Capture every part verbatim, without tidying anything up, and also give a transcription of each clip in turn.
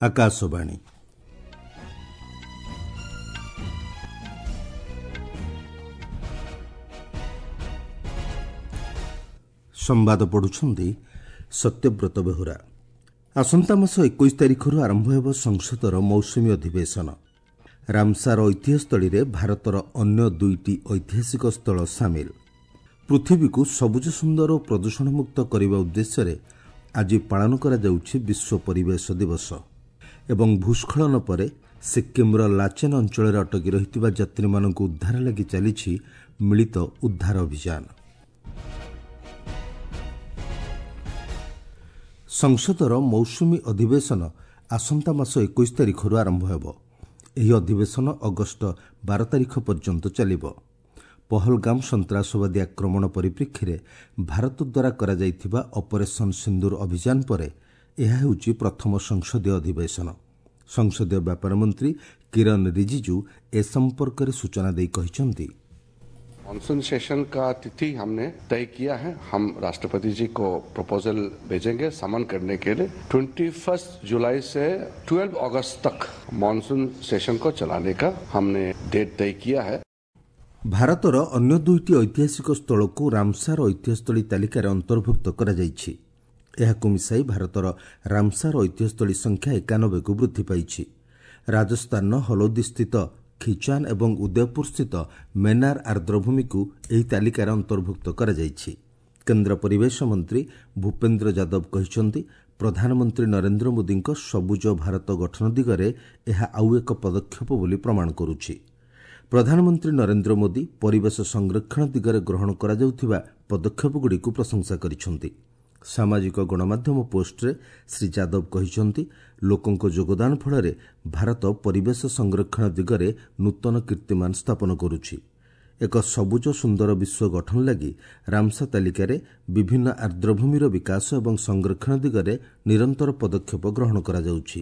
ଆକାଶବାଣୀ। ସମ୍ବାଦ ପଢ଼ୁଛନ୍ତି ସତ୍ୟବ୍ରତ ବେହୁରା। ଆସନ୍ତା ମାସ ଏକୋଇଶ ତାରିଖରୁ ଆରମ୍ଭ ହେବ ସଂସଦର ମୌସୁମୀ ଅଧିବେଶନ। ରାମସାର ଐତିହ୍ୟସ୍ଥଳୀରେ ଭାରତର ଅନ୍ୟ ଦୁଇଟି ଐତିହାସିକ ସ୍ଥଳ ସାମିଲ। ପୃଥିବୀକୁ ସବୁଜ ସୁନ୍ଦର ଓ ପ୍ରଦୂଷଣମୁକ୍ତ କରିବା ଉଦ୍ଦେଶ୍ୟରେ ଆଜି ପାଳନ କରାଯାଉଛି ବିଶ୍ୱ ପରିବେଶ ଦିବସ। ଏବଂ ଭୂସ୍ଖଳନ ପରେ ସିକ୍କିମ୍ର ଲାଚେନ୍ ଅଞ୍ଚଳରେ ଅଟକି ରହିଥିବା ଯାତ୍ରୀମାନଙ୍କୁ ଉଦ୍ଧାର ଲାଗି ଚାଲିଛି ମିଳିତ ଉଦ୍ଧାର ଅଭିଯାନ। ସଂସଦର ମୌସୁମୀ ଅଧିବେଶନ ଆସନ୍ତା ମାସ ଏକୋଇଶ ତାରିଖରୁ ଆରମ୍ଭ ହେବ। ଏହି ଅଧିବେଶନ ଅଗଷ୍ଟ ବାର ତାରିଖ ପର୍ଯ୍ୟନ୍ତ ଚାଲିବ। ପହଲଗାମ ସନ୍ତାସବାଦୀ ଆକ୍ରମଣ ପରିପ୍ରେକ୍ଷୀରେ ଭାରତ ଦ୍ୱାରା କରାଯାଇଥିବା ଅପରେସନ୍ ସିନ୍ଦୁର ଅଭିଯାନ ପରେ ଏହା ହେଉଛି ପ୍ରଥମ ସଂସଦୀୟ ଅଧିବେଶନ। ସଂସଦୀୟ ବ୍ୟାପାର ମନ୍ତ୍ରୀ କିରଣ ରିଜିଜୁ ଏ ସମ୍ପର୍କରେ ସୂଚନା ଦେଇ କହିଛନ୍ତି, मानसून सेशन का तिथि हमने तय किया है। हम राष्ट्रपति जी को प्रपोजल भेजेंगे समन करने के लिए। इक्कीस जुलाई से बारह अगस्त तक मानसून सेशन को चलाने का हमने डेट तय किया है। ଭାରତର ଅନ୍ୟ ଦୁଇଟି ଐତିହାସିକ ସ୍ଥଳକୁ ରାମସାର ଐତିହ୍ୟସ୍ଥଳୀ ତାଲିକାରେ ଅନ୍ତର୍ଭୁକ୍ତ କରାଯାଇଛି। ଏହାକୁ ମିଶାଇ ଭାରତର ରାମସାର ଐତିହ୍ୟସ୍ଥଳୀ ସଂଖ୍ୟା ଏକାନବେକୁ ବୃଦ୍ଧି ପାଇଛି। ରାଜସ୍ଥାନର ହଲୋଦିସ୍ଥିତ ଖିଚାନ୍ ଏବଂ ଉଦୟପୁରସ୍ଥିତ ମେନାର ଆର୍ଦ୍ରଭୂମିକୁ ଏହି ତାଲିକାରେ ଅନ୍ତର୍ଭୁକ୍ତ କରାଯାଇଛି। କେନ୍ଦ୍ର ପରିବେଶ ମନ୍ତ୍ରୀ ଭୂପେନ୍ଦ୍ର ଯାଦବ କହିଛନ୍ତି, ପ୍ରଧାନମନ୍ତ୍ରୀ ନରେନ୍ଦ୍ର ମୋଦିଙ୍କ ସବୁଜ ଭାରତ ଗଠନ ଦିଗରେ ଏହା ଆଉ ଏକ ପଦକ୍ଷେପ ବୋଲି ପ୍ରମାଣ କରୁଛି। ପ୍ରଧାନମନ୍ତ୍ରୀ ନରେନ୍ଦ୍ର ମୋଦି ପରିବେଶ ସଂରକ୍ଷଣ ଦିଗରେ ଗ୍ରହଣ କରାଯାଉଥିବା ପଦକ୍ଷେପଗୁଡ଼ିକୁ ପ୍ରଶଂସା କରିଛନ୍ତି। ସାମାଜିକ ଗଣମାଧ୍ୟମ ପୋଷ୍ଟରେ ଶ୍ରୀ ଯାଦବ କହିଛନ୍ତି, ଲୋକଙ୍କ ଯୋଗଦାନ ଫଳରେ ଭାରତ ପରିବେଶ ସଂରକ୍ଷଣ ଦିଗରେ ନୂତନ କୀର୍ତ୍ତିମାନ ସ୍ଥାପନ କରୁଛି। ଏକ ସବୁଜ ସୁନ୍ଦର ବିଶ୍ୱ ଗଠନ ଲାଗି ରାମସା ତାଲିକାରେ ବିଭିନ୍ନ ଆର୍ଦ୍ରଭୂମିର ବିକାଶ ଏବଂ ସଂରକ୍ଷଣ ଦିଗରେ ନିରନ୍ତର ପଦକ୍ଷେପ ଗ୍ରହଣ କରାଯାଉଛି।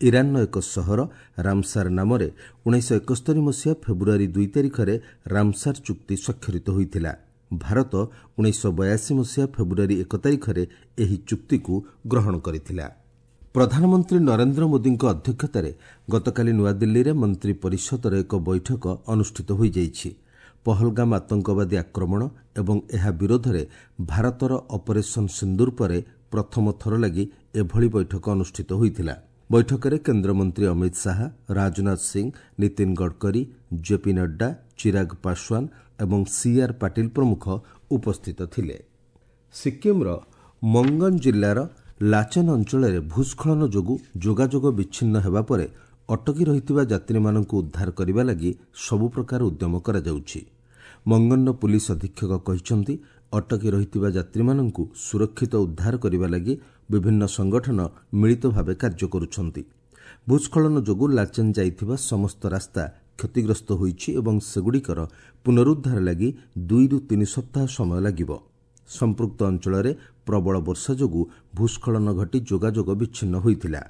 ଇରାନର ଏକ ସହର ରାମସାର ନାମରେ ଉଣେଇଶହ ଏକସ୍ତରୀ ମସିହା ଫେବୃଆରୀ ଦୁଇ ତାରିଖରେ ରାମସାର ଚୁକ୍ତି ସ୍ୱାକ୍ଷରିତ ହୋଇଥିଲା। ଭାରତ ଉଣେଇଶହ ବୟାଅଶୀ ମସିହା ଫେବୃଆରୀ ଏକ ତାରିଖରେ ଏହି ଚୁକ୍ତିକୁ ଗ୍ରହଣ କରିଥିଲା। ପ୍ରଧାନମନ୍ତ୍ରୀ ନରେନ୍ଦ୍ର ମୋଦିଙ୍କ ଅଧ୍ୟକ୍ଷତାରେ ଗତକାଲି ନୂଆଦିଲ୍ଲୀରେ ମନ୍ତ୍ରୀ ପରିଷଦର ଏକ ବୈଠକ ଅନୁଷ୍ଠିତ ହୋଇଯାଇଛି। ପହଲଗାମ ଆତଙ୍କବାଦୀ ଆକ୍ରମଣ ଏବଂ ଏହା ବିରୋଧରେ ଭାରତର ଅପରେସନ୍ ସିନ୍ଦୁର ପରେ ପ୍ରଥମ ଥର ଲାଗି ଏଭଳି ବୈଠକ ଅନୁଷ୍ଠିତ ହୋଇଥିଲା। ବୈଠକରେ କେନ୍ଦ୍ରମନ୍ତ୍ରୀ ଅମିତ ଶାହା, ରାଜନାଥ ସିଂ, ନୀତିନ ଗଡ଼କରୀ, ଜେପି ନଡ୍ଡା, ଚିରାଗ ପାଶୱାନ ଏବଂ ସିଆର୍ ପାଟିଲ ପ୍ରମୁଖ ଉପସ୍ଥିତ ଥିଲେ। ସିକ୍କିମ୍ର ମଙ୍ଗନ ଜିଲ୍ଲାର ଲାଚେନ୍ ଅଞ୍ଚଳରେ ଭୂସ୍ଖଳନ ଯୋଗୁଁ ଯୋଗାଯୋଗ ବିଚ୍ଛିନ୍ନ ହେବା ପରେ ଅଟକି ରହିଥିବା ଯାତ୍ରୀମାନଙ୍କୁ ଉଦ୍ଧାର କରିବା ଲାଗି ସବୁ ପ୍ରକାର ଉଦ୍ୟମ କରାଯାଉଛି। ମଙ୍ଗନର ପୁଲିସ ଅଧୀକ୍ଷକ କହିଛନ୍ତି, ଅଟକି ରହିଥିବା ଯାତ୍ରୀମାନଙ୍କୁ ସୁରକ୍ଷିତ ଉଦ୍ଧାର କରିବା ଲାଗି ବିଭିନ୍ନ ସଂଗଠନ ମିଳିତ ଭାବେ କାର୍ଯ୍ୟ କରୁଛନ୍ତି। ଭୂସ୍ଖଳନ ଯୋଗୁଁ ଲାଚେନ୍ ଯାଇଥିବା ସମସ୍ତ ରାସ୍ତା କ୍ଷତିଗ୍ରସ୍ତ ହୋଇଛି ଏବଂ ସେଗୁଡ଼ିକର ପୁନରୁଦ୍ଧାର ଲାଗି ଦୁଇରୁ ତିନି ସପ୍ତାହ ସମୟ ଲାଗିବ। ସମ୍ପୃକ୍ତ ଅଞ୍ଚଳରେ ପ୍ରବଳ ବର୍ଷା ଯୋଗୁଁ ଭୂସ୍ଖଳନ ଘଟି ଯୋଗାଯୋଗ ବିଚ୍ଛିନ୍ନ ହୋଇଥିଲା।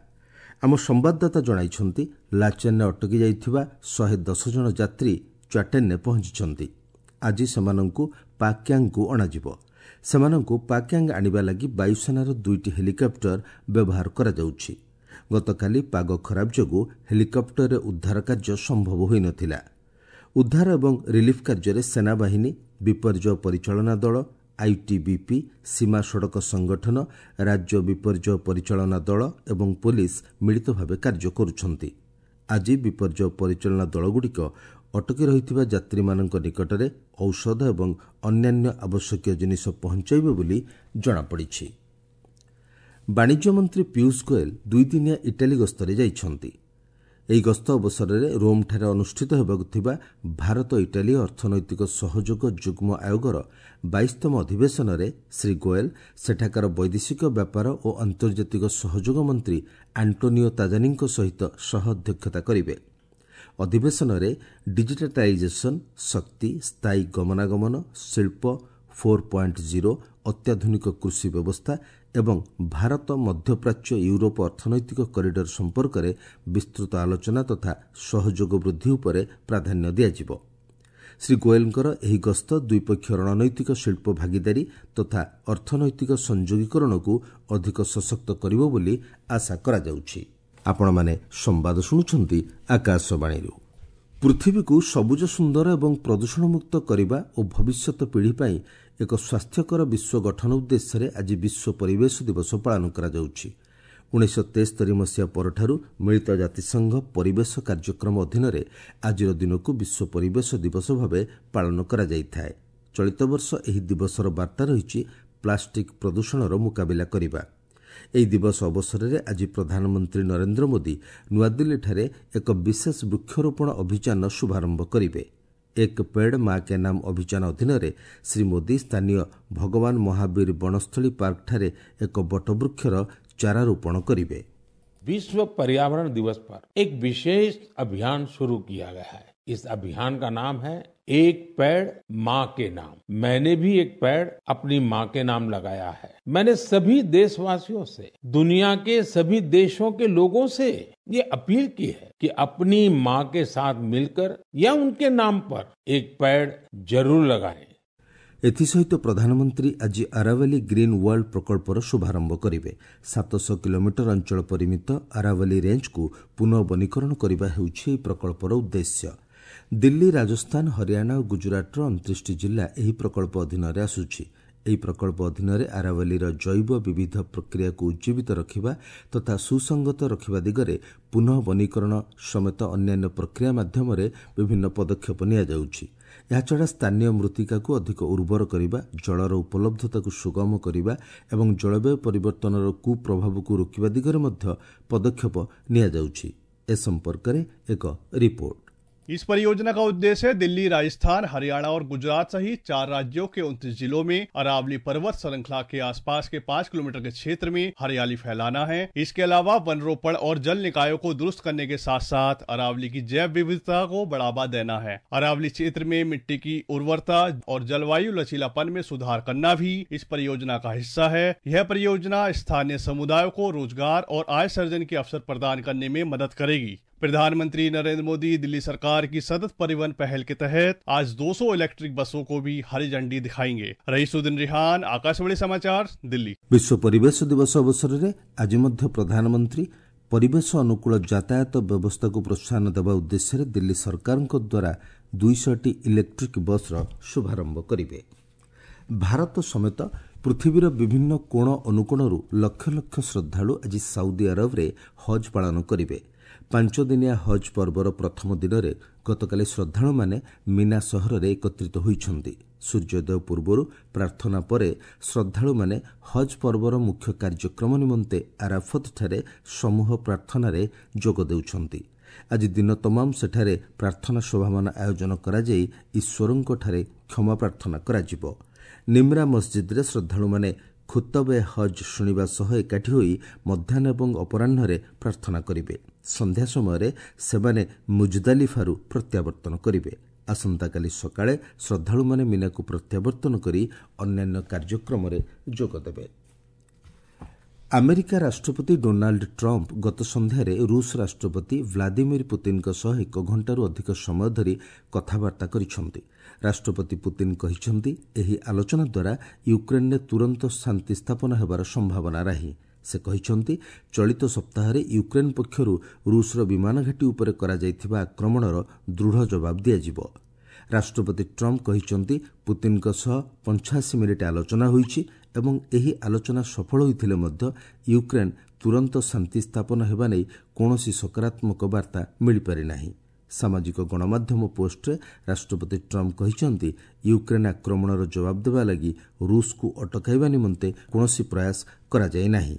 ଆମ ସମ୍ବାଦଦାତା ଜଣାଇଛନ୍ତି, ଲାଚେନ୍ରେ ଅଟକି ଯାଇଥିବା ଶହେ ଦଶ ଜଣ ଯାତ୍ରୀ ଚାଟେନ୍ରେ ପହଞ୍ଚିଛନ୍ତି। ଆଜି ସେମାନଙ୍କୁ ପାକ୍ୟାଙ୍ଗକୁ ଅଣାଯିବ। ସେମାନଙ୍କୁ ପାକ୍ୟାଙ୍ଗ ଆଣିବା ଲାଗି ବାୟୁସେନାର ଦୁଇଟି ହେଲିକପ୍ଟର ବ୍ୟବହାର କରାଯାଉଛି। ଗତକାଲି ପାଗ ଖରାପ ଯୋଗୁଁ ହେଲିକପ୍ଟରରେ ଉଦ୍ଧାର କାର୍ଯ୍ୟ ସମ୍ଭବ ହୋଇନଥିଲା। ଉଦ୍ଧାର ଏବଂ ରିଲିଫ୍ କାର୍ଯ୍ୟରେ ସେନାବାହିନୀ, ବିପର୍ଯ୍ୟୟ ପରିଚାଳନା ଦଳ, ଆଇଟିବିପି, ସୀମା ସଡ଼କ ସଂଗଠନ, ରାଜ୍ୟ ବିପର୍ଯ୍ୟୟ ପରିଚାଳନା ଦଳ ଏବଂ ପୋଲିସ ମିଳିତ ଭାବେ କାର୍ଯ୍ୟ କରୁଛନ୍ତି। ଆଜି ବିପର୍ଯ୍ୟୟ ପରିଚାଳନା ଦଳଗୁଡ଼ିକ ଅଟକି ରହିଥିବା ଯାତ୍ରୀମାନଙ୍କ ନିକଟରେ ଔଷଧ ଏବଂ ଅନ୍ୟାନ୍ୟ ଆବଶ୍ୟକୀୟ ଜିନିଷ ପହଞ୍ଚାଇବେ ବୋଲି ଜଣାପଡ଼ିଛି। ବାଣିଜ୍ୟ ମନ୍ତ୍ରୀ ପୀୟୁଷ ଗୋଏଲ ଦୁଇଦିନିଆ ଇଟାଲୀ ଗସ୍ତରେ ଯାଇଛନ୍ତି। ଏହି ଗସ୍ତ ଅବସରରେ ରୋମ୍ଠାରେ ଅନୁଷ୍ଠିତ ହେବାକୁ ଥିବା ଭାରତ ଇଟାଲୀ ଅର୍ଥନୈତିକ ସହଯୋଗ ଯୁଗ୍ମ ଆୟୋଗର ବାଇଶତମ ଅଧିବେଶନରେ ଶ୍ରୀ ଗୋଏଲ ସେଠାକାର ବୈଦେଶିକ ବ୍ୟାପାର ଓ ଆନ୍ତର୍ଜାତିକ ସହଯୋଗ ମନ୍ତ୍ରୀ ଆଣ୍ଟୋନିଓ ତାଜାନିଙ୍କ ସହିତ ସହ ଅଧ୍ୟକ୍ଷତା କରିବେ। ଅଧିବେଶନରେ ଡିଜିଟାଲାଇଜେସନ୍, ଶକ୍ତି, ସ୍ଥାୟୀ ଗମନାଗମନ, ଶିଳ୍ପ ଫୋର୍ ପଏଣ୍ଟ ଜିରୋ, ଅତ୍ୟାଧୁନିକ କୃଷି ବ୍ୟବସ୍ଥା ଏବଂ ଭାରତ ମଧ୍ୟପ୍ରାଚ୍ୟ ୟୁରୋପ ଅର୍ଥନୈତିକ କରିଡର ସମ୍ପର୍କରେ ବିସ୍ତୃତ ଆଲୋଚନା ତଥା ସହଯୋଗ ବୃଦ୍ଧି ଉପରେ ପ୍ରାଧାନ୍ୟ ଦିଆଯିବ। ଶ୍ରୀ ଗୋଏଲଙ୍କର ଏହି ଗସ୍ତ ଦ୍ୱିପକ୍ଷୀୟ ରଣନୈତିକ ଶିଳ୍ପ ଭାଗିଦାରୀ ତଥା ଅର୍ଥନୈତିକ ସଂଯୋଗୀକରଣକୁ ଅଧିକ ସଶକ୍ତ କରିବ ବୋଲି ଆଶା କରାଯାଉଛି। ଆପଣମାନେ ସମ୍ବାଦ ଶୁଣୁଛନ୍ତି ଆକାଶବାଣୀରୁ। ପୃଥିବୀକୁ ସବୁଜ, ସୁନ୍ଦର ଏବଂ ପ୍ରଦୂଷଣମୁକ୍ତ କରିବା ଓ ଭବିଷ୍ୟତ ପିଢ଼ି ପାଇଁ ଏକ ସ୍ୱାସ୍ଥ୍ୟକର ବିଶ୍ୱ ଗଠନ ଉଦ୍ଦେଶ୍ୟରେ ଆଜି ବିଶ୍ୱ ପରିବେଶ ଦିବସ ପାଳନ କରାଯାଉଛି। ଉଣେଇଶହ ତେସ୍ତରୀ ମସିହା ପରଠାରୁ ମିଳିତ ଜାତିସଂଘ ପରିବେଶ କାର୍ଯ୍ୟକ୍ରମ ଅଧୀନରେ ଆଜିର ଦିନକୁ ବିଶ୍ୱ ପରିବେଶ ଦିବସ ଭାବେ ପାଳନ କରାଯାଇଥାଏ। ଚଳିତ ବର୍ଷ ଏହି ଦିବସର ବାର୍ତ୍ତା ରହିଛି ପ୍ଲାଷ୍ଟିକ୍ ପ୍ରଦୂଷଣର ମୁକାବିଲା କରିବା। ଏହି ଦିବସ ଅବସରରେ ଆଜି ପ୍ରଧାନମନ୍ତ୍ରୀ ନରେନ୍ଦ୍ର ମୋଦି ନୂଆଦିଲ୍ଲୀଠାରେ ଏକ ବିଶେଷ ବୃକ୍ଷରୋପଣ ଅଭିଯାନର ଶୁଭାରମ୍ଭ କରିବେ। ଏକ ପେଡ୍ ମା କେ ନାମ ଅଭିଯାନ ଅଧୀନରେ ଶ୍ରୀ ମୋଦି ସ୍ଥାନୀୟ ଭଗବାନ ମହାବୀର ବନସ୍ଥଳୀ ପାର୍କଠାରେ ଏକ ବଟବୃକ୍ଷର ଚାରା ରୋପଣ କରିବେ। विश्व पर्यावरण दिवस पर एक विशेष अभियान शुरू किया गया है। इस अभियान का नाम है एक पेड़ माँ के नाम। मैंने भी एक पेड़ अपनी माँ के नाम लगाया है। मैंने सभी देशवासियों से, दुनिया के सभी देशों के लोगों से ये अपील की है कि अपनी माँ के साथ मिलकर या उनके नाम पर एक पेड़ जरूर लगाएं। ଏଥିସହିତ ପ୍ରଧାନମନ୍ତ୍ରୀ ଆଜି ଆରାବଲି ଗ୍ରୀନ୍ ୱାର୍ଲଡ ପ୍ରକଳ୍ପର ଶୁଭାରମ୍ଭ କରିବେ। ସାତଶହ କିଲୋମିଟର ଅଞ୍ଚଳ ପରିମିତ ଆରାବଲି ରେଞ୍ଜକୁ ପୁନଃ ବନୀକରଣ କରିବା ହେଉଛି ଏହି ପ୍ରକଳ୍ପର ଉଦ୍ଦେଶ୍ୟ। ଦିଲ୍ଲୀ, ରାଜସ୍ଥାନ, ହରିୟାଣା ଓ ଗୁଜରାଟର ଅଣତିରିଶଟି ଜିଲ୍ଲା ଏହି ପ୍ରକଳ୍ପ ଅଧୀନରେ ଆସୁଛି। ଏହି ପ୍ରକଳ୍ପ ଅଧୀନରେ ଆରାବଲିର ଜୈବ ବିବିଧ ପ୍ରକ୍ରିୟାକୁ ଉଜ୍ଜୀବିତ ରଖିବା ତଥା ସୁସଙ୍ଗତ ରଖିବା ଦିଗରେ ପୁନଃ ବନୀକରଣ ସମେତ ଅନ୍ୟାନ୍ୟ ପ୍ରକ୍ରିୟା ମାଧ୍ୟମରେ ବିଭିନ୍ନ ପଦକ୍ଷେପ ନିଆଯାଉଛି। ଏହାଛଡ଼ା ସ୍ଥାନୀୟ ମୃତ୍ତିକାକୁ ଅଧିକ ଉର୍ବର କରିବା, ଜଳର ଉପଲବ୍ଧତାକୁ ସୁଗମ କରିବା ଏବଂ ଜଳବାୟୁ ପରିବର୍ତ୍ତନର କୁପ୍ରଭାବକୁ ରୋକିବା ଦିଗରେ ମଧ୍ୟ ପଦକ୍ଷେପ ନିଆଯାଉଛି। ଏ ସମ୍ପର୍କରେ ଏକ ରିପୋର୍ଟ। इस परियोजना का उद्देश्य दिल्ली, राजस्थान, हरियाणा और गुजरात सहित चार राज्यों के उनतीस जिलों में अरावली पर्वत श्रृंखला के आसपास के पाँच किलोमीटर के क्षेत्र में हरियाली फैलाना है। इसके अलावा वनरोपण और जल निकायों को दुरुस्त करने के साथ साथ अरावली की जैव विविधता को बढ़ावा देना है। अरावली क्षेत्र में मिट्टी की उर्वरता और जलवायु लचीलापन में सुधार करना भी इस परियोजना का हिस्सा है। यह परियोजना स्थानीय समुदायों को रोजगार और आय सृजन के अवसर प्रदान करने में मदद करेगी। प्रधानमंत्री नरेंद्र मोदी दिल्ली सरकार की सतत परिवहन पहल के तहत आज दो सौ इलेक्ट्रिक बसों को भी हरी झंडी दिखाएंगे। रईसुद्दीन रिहान, आकाशवाणी समाचार, दिल्ली। ବିଶ୍ୱ ପରିବେଶ ଦିବସ ଅବସରରେ ଆଜି ମଧ୍ୟ ପ୍ରଧାନମନ୍ତ୍ରୀ ପରିବେଶ ଅନୁକୂଳ ଯାତାୟାତ ବ୍ୟବସ୍ଥାକୁ ପ୍ରୋତ୍ସାହନ ଦେବା ଉଦ୍ଦେଶ୍ୟରେ ଦିଲ୍ଲୀ ସରକାରଙ୍କ ଦ୍ୱାରା ଦୁଇଶହଟି ଇଲେକ୍ଟ୍ରିକ୍ ବସ୍ର ଶୁଭାରମ୍ଭ କରିବେ। ଭାରତ ସମେତ ପୃଥିବୀର ବିଭିନ୍ନ କୋଣ ଅନୁକୋଣରୁ ଲକ୍ଷ ଲକ୍ଷ ଶ୍ରଦ୍ଧାଳୁ ଆଜି ସାଉଦି ଆରବରେ ହଜ୍ ପାଳନ କରିବେ। ପାଞ୍ଚଦିନିଆ ହଜ୍ ପର୍ବର ପ୍ରଥମ ଦିନରେ ଗତକାଲି ଶ୍ରଦ୍ଧାଳୁମାନେ ମିନା ସହରରେ ଏକତ୍ରିତ ହୋଇଛନ୍ତି। ସୂର୍ଯ୍ୟୋଦୟ ପୂର୍ବରୁ ପ୍ରାର୍ଥନା ପରେ ଶ୍ରଦ୍ଧାଳୁମାନେ ହଜ୍ ପର୍ବର ମୁଖ୍ୟ କାର୍ଯ୍ୟକ୍ରମ ନିମନ୍ତେ ଆରାଫତଠାରେ ସମୂହ ପ୍ରାର୍ଥନାରେ ଯୋଗ ଦେଉଛନ୍ତି। ଆଜି ଦିନ ତମାମ ସେଠାରେ ପ୍ରାର୍ଥନା ସଭାମାନ ଆୟୋଜନ କରାଯାଇ ଈଶ୍ୱରଙ୍କଠାରେ କ୍ଷମା ପ୍ରାର୍ଥନା କରାଯିବ। ନିମ୍ରା ମସଜିଦ୍ରେ ଶ୍ରଦ୍ଧାଳୁମାନେ ଖୁତବ ଏ ହଜ୍ ଶୁଣିବା ସହ ଏକାଠି ହୋଇ ମଧ୍ୟାହ୍ନ ଏବଂ ଅପରାହ୍ନରେ ପ୍ରାର୍ଥନା କରିବେ। ସନ୍ଧ୍ୟା ସମୟରେ ସେମାନେ ମୁଜଦାଲିଫାରୁ ପ୍ରତ୍ୟାବର୍ତ୍ତନ କରିବେ। ଆସନ୍ତାକାଲି ସକାଳେ ଶ୍ରଦ୍ଧାଳୁମାନେ ମିନାକୁ ପ୍ରତ୍ୟାବର୍ତ୍ତନ କରି ଅନ୍ୟାନ୍ୟ କାର୍ଯ୍ୟକ୍ରମରେ ଯୋଗଦେବେ। ଆମେରିକା ରାଷ୍ଟ୍ରପତି ଡୋନାଲ୍ଡ ଟ୍ରମ୍ପ ଗତ ସନ୍ଧ୍ୟାରେ ରୁଷ ରାଷ୍ଟ୍ରପତି ଭ୍ଲାଦିମିର ପୁତିନଙ୍କ ସହ ଏକ ଘଣ୍ଟାରୁ ଅଧିକ ସମୟ ଧରି କଥାବାର୍ତ୍ତା କରିଛନ୍ତି। ରାଷ୍ଟ୍ରପତି ପୁତିନ କହିଛନ୍ତି, ଏହି ଆଲୋଚନା ଦ୍ୱାରା ୟୁକ୍ରେନ୍ରେ ତୁରନ୍ତ ଶାନ୍ତି ସ୍ଥାପନ ହେବାର ସମ୍ଭାବନା ନାହିଁ। ସେ କହିଛନ୍ତି, ଚଳିତ ସପ୍ତାହରେ ୟୁକ୍ରେନ୍ ପକ୍ଷରୁ ରୁଷର ବିମାନ ଘାଟି ଉପରେ କରାଯାଇଥିବା ଆକ୍ରମଣର ଦୃଢ଼ ଜବାବ ଦିଆଯିବ। ରାଷ୍ଟ୍ରପତି ଟ୍ରମ୍ପ କହିଛନ୍ତି, ପୁତିନଙ୍କ ସହ ପଞ୍ଚାଅଶୀ ମିନିଟ୍ ଆଲୋଚନା ହୋଇଛି ଏବଂ ଏହି ଆଲୋଚନା ସଫଳ ହୋଇଥିଲେ ମଧ୍ୟ ୟୁକ୍ରେନ୍ ତୁରନ୍ତ ଶାନ୍ତି ସ୍ଥାପନ ହେବା ନେଇ କୌଣସି ସକାରାତ୍ମକ ବାର୍ତ୍ତା ମିଳିପାରିନାହିଁ। ସାମାଜିକ ଗଣମାଧ୍ୟମ ପୋଷ୍ଟରେ ରାଷ୍ଟ୍ରପତି ଟ୍ରମ୍ପ କହିଛନ୍ତି, ୟୁକ୍ରେନ୍ ଆକ୍ରମଣର ଜବାବ ଦେବା ଲାଗି ରୁଷକୁ ଅଟକାଇବା ନିମନ୍ତେ କୌଣସି ପ୍ରୟାସ କରାଯାଇ ନାହିଁ।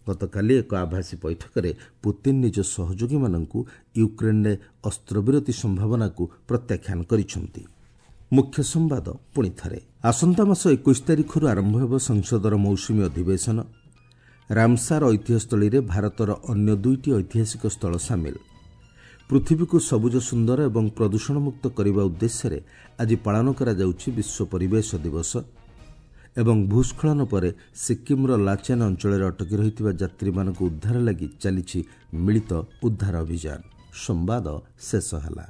ଗତକାଲି ଏକ ଆଭାସୀ ବୈଠକରେ ପୁତିନ ନିଜ ସହଯୋଗୀମାନଙ୍କୁ ୟୁକ୍ରେନ୍ରେ ଅସ୍ତ୍ରବିରତି ସମ୍ଭାବନାକୁ ପ୍ରତ୍ୟାଖ୍ୟାନ କରିଛନ୍ତି। ମୁଖ୍ୟ ସମ୍ବାଦ ପୁଣି ଥରେ, ଆସନ୍ତା ମାସ ଏକୋଇଶ ତାରିଖରୁ ଆରମ୍ଭ ହେବ ସଂସଦର ମୌସୁମୀ ଅଧିବେଶନ। ରାମସାର ଐତିହ୍ୟସ୍ଥଳୀରେ ଭାରତର ଅନ୍ୟ ଦୁଇଟି ଐତିହାସିକ ସ୍ଥଳ ସାମିଲ। ପୃଥିବୀକୁ ସବୁଜ, ସୁନ୍ଦର ଏବଂ ପ୍ରଦୂଷଣମୁକ୍ତ କରିବା ଉଦ୍ଦେଶ୍ୟରେ ଆଜି ପାଳନ କରାଯାଉଛି ବିଶ୍ୱ ପରିବେଶ ଦିବସ। ଏବଂ ଭୂସ୍ଖଳନ ପରେ ସିକ୍କିମ୍ର ଲାଚେନ୍ ଅଞ୍ଚଳରେ ଅଟକି ରହିଥିବା ଯାତ୍ରୀମାନଙ୍କୁ ଉଦ୍ଧାର ଲାଗି ଚାଲିଛି ମିଳିତ ଉଦ୍ଧାର ଅଭିଯାନ। ସମ୍ବାଦ ଶେଷ ହେଲା।